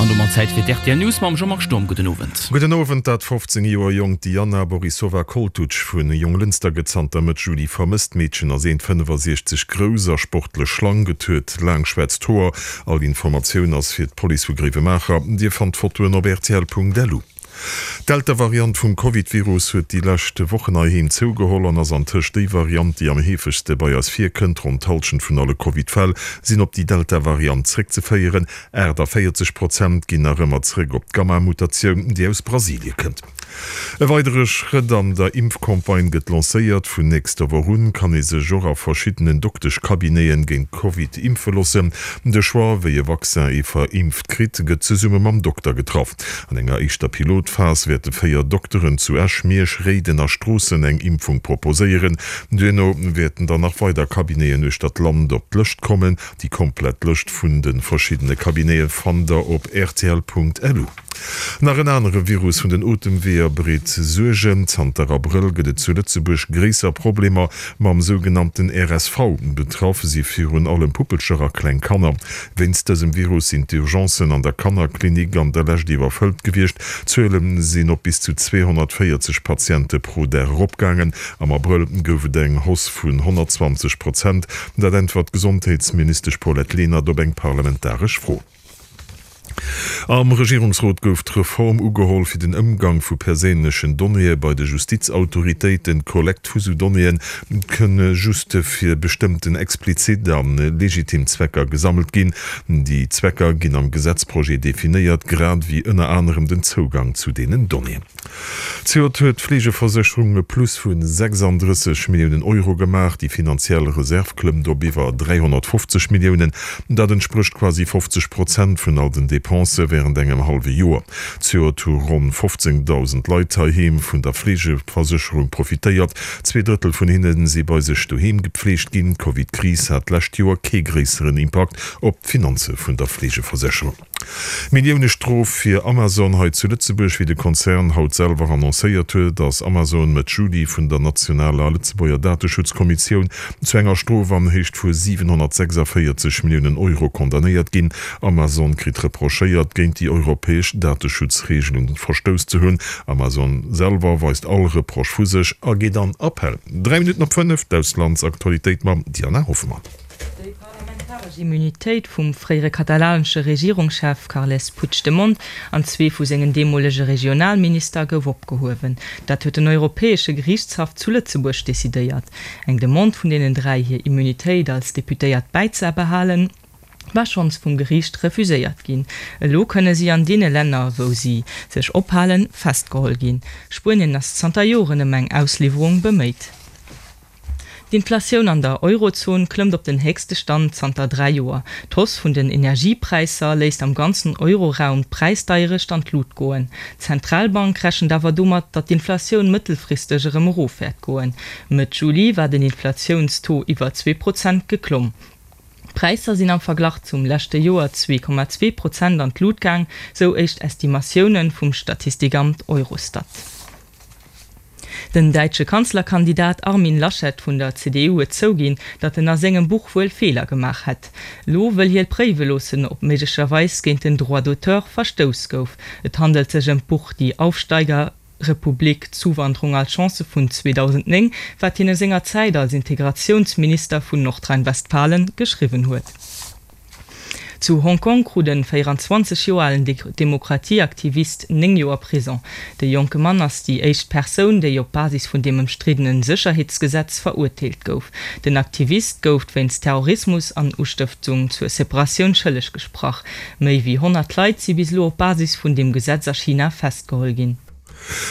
An domat Zäit fir d'RTL News mam Jean-Marc Sturm. Gudden Owend. Gudden Owend. Dat 15 Joer jonkt Diana Borisova Koltuc vu Jonglënster gëtt zanter Mëtt Juli vermësst. D'Meedchen ass 1,65 grouss a sportlech schlank. Et huet laang schwaarzt Hoer. All Informatioun ass fir d'Police vu Gréiwemaacher. Dir fannt d'Fotoen op rtl.lu. D'Delta-Variant vum Covid-Virus huet déi lescht Wochen heiheem zougeholl an ass antëscht déi Variant, déi am heefegste bei eis virkënnt. Ronn d'Hallschent vun alle Covid-Fäll sinn op déi Delta-Variant zréckzeféieren. 48 Prozent ginn nach ëmmer zréck op d'Gamma-Mutatioun, déi aus Brasilie kënnt. E weidere Schrëtt an der Impfcampagne gëtt lancéiert. Vun nächster Woch un kann ee sech och a verschiddenen Dokteschcabineten géint Covid impfe loossen. De Choix, wéi e Vaccin ee verimpft kritt, gëtt zesumme mam Dokter getraff. An enger éischter Pilotphas wäerte 4 Dokteren zu Esch, Miersch, Réiden a Stroossen eng Impfung proposéieren. Duerno wäerten dann nach weider Cabineten uechter d'Land op d'Lëscht kommen. Déi komplett Lëscht vun de verschiddene Cabinete fannt der op rtl.lu. Nach en anere Virus vun den Otemweeër bereet Suergen. Zanter Abrëll gëtt et zu Lëtzebuerg gréisser Problemer mam sougenannten RSV. Betraff si virun allem Puppelcher a kleng Kanner. Wéinst dësem Virus sinn d'Urgencen an der Kannerklinik an der Lescht iwwerfëllt gewiescht. D'Zuele sinn op bis zu 240 Patiente pro Dag eropgaangen. Am Abrëll gouf et eng Hausse vun 120 Prozent. Dat äntwert d'Gesondheetsministesch Paulette Lenert op eng parlamentaresch Fro. Am Regierungsrot gouf d'Reform ugeholl fir den Ëmgang vu perséinlechen Donnéeë bei de Justizautoritéiten. D'Kollekt vu sou Donnéeë kënne just fir bestëmmten explizit a legitim Zwecker gesammelt ginn. Déi Zwecker ginn am Gesetzprojet definéiert, grad ewéi ënner anerem den Zougang zu deenen Donnéeën. Zejoert huet d'Fleegeversécherung e Plus vu 36 Milliounen Euro gemaach. Déi finanziell Reserv klëmmt op iwwer 350 Milliounen. Dat entsprécht quasi 50 Prozent vun all den Depensë wärend engem hallwe Joer. Zejoert hu ronn 15.000 Leit heiheem vun der Fleegeversécherung profitéiert. Zweedrëttel vun hinne si bei sech doheem gepfleegt ginn. D'Covid-Kris hat d'lescht Joer kee gréisseren Impakt op d'Finanze vun der Fleegeversécherung. Millioune-Strof fir Amazon hei zu Lëtzebuerg. Wéi de Konzern haut selwer annoncéiert huet, ass Amazon Mëtt Juli vun der nationaler Lëtzebuerger Dateschutzkommissioun zu enger Strof an Héicht vu 746 Milliounen Euro condamnéiert ginn. Amazon kritt reprochéiert, géint déi europäesch Dateschutzreegelen verstouss ze hunn. Amazon selwer weist all Reproche vu sech a geet an Appell. 3 Minutten op 5, d'Auslandsaktualitéit mam Diana Hoffmann. Déi parlamentaresch Immunitéit vum fréiere katalanesche Regierungschef Carles Puigdemont an zwee vu sengen deemolege Regionalminister gouf opgehuewen. Dat huet den Europäesche Geriichtshaff zu Lëtzebuerg decidéiert. Eng Demande vun deenen 3, hir Immunitéit als Deputéiert bäizebehalen, war schonns vum Geriicht refuséiert ginn. Elo kënne si an deene Länner, wou si sech ophalen, festgeholl ginn. Spuenien ass zanter Joren ëm eng Ausliwwerung beméit. D'Inflatioun an der Eurozon klëmmt op den héchste Stand zanter 3 Joer. D'Hausse vun den Energiepräisser léisst am ganzen Euroraum d'Präisdeierecht an d'Lut goen. D'Zentralbank rechent awer domat, datt d'Inflatioun mëttelfristeg erëm erof wäert goen. Mëtt Juli war den Inflatiounstaux iwwer 2 Prozent geklomm. D'Präisser sinn am Verglach zum leschte Joer 2,2 Prozent an d'Lut gaang, sou éischt Estimatioune vum Statistikamt Eurostat. Den däitsche Kanzlerkandidat Armin Laschet vun der CDU huet zouginn, datt en a sengem Buch wuel Feeler gemaach hätt. Elo wëll hie préiwe loossen, ob méiglecherweis géint den Droit d'auteur verstouss gouf. Et handelt sech ëm d'Buch Die Aufsteigerrepublik, Zuwanderung als Chance vun 2009, wat hien e senger Zäit als Integratiounsminister vun Nordrhein-Westfalen geschriwwen huet. Zu Hong Kong krut e 24 Joer alen Demokratieaktivist 9 Joer Prison. De jonke Mann ass déi éischt Persoun, déi op Basis vun deem ëmstriddene Sécherheetsgesetz verurteelt gouf. Den Aktivist gouf wéinst Terrorismus an Ustëftung zur Separatioun schëlleg gesprach. Méi wéi 100 Leit si bis elo op Basis vun deem Gesetz a China festgeholl ginn.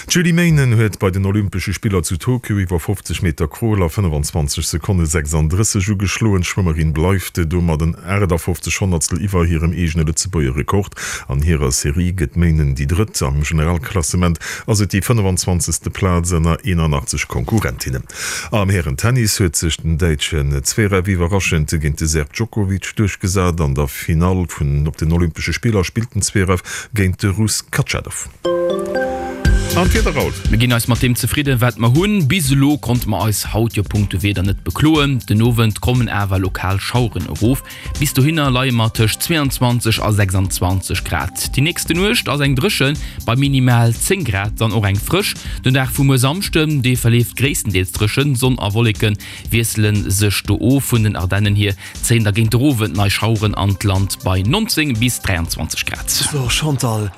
D'Julie Meynen huet bei den Olympesche Spiller zu Tokio iwwer 50 Meter Crawl a 25 Sekonne 36 ugeschloen. D'Schwëmmerin bleift domat en 58 Honnertstel iwwer hirem eegene Lëtzebuerger Rekord. An hirer Serie gëtt d'Meynen déi Drëtt. Am Generalklassement ass et déi 25. Plaz ënner 81 Konkurrentinnen. Am Hären-Tennis huet sech den Däitschen Zverev iwwerraschend géint de Serb Djokovic duerchgesat. An der Finall vun op den Olympesche Spiller spillt den Zverev géint de Russ Khachanov. An d'Wieder haut? Mir ginn eis mat deem zefridden, wat mer hunn. Bis elo konnte mer eis haut jo punkto Wieder net bekloen. Den Owend kommen awer lokal Schaueren erof. Bis dohinner leie mer tëscht 22 a 26 Grad. Déi nächste Nuecht ass eng dréchen, bei minimal 10 Grad dann och eng frësch. Den Dag vu muer Samschden, dee verleeft gréisstendeels dréchen, Sonn a Wolleke wiessele sech do of. Vun den Ardennen hier zéien da géint der Owend nei Schaueren an d'Land bei 19 bis 23 Grad. So Chantal.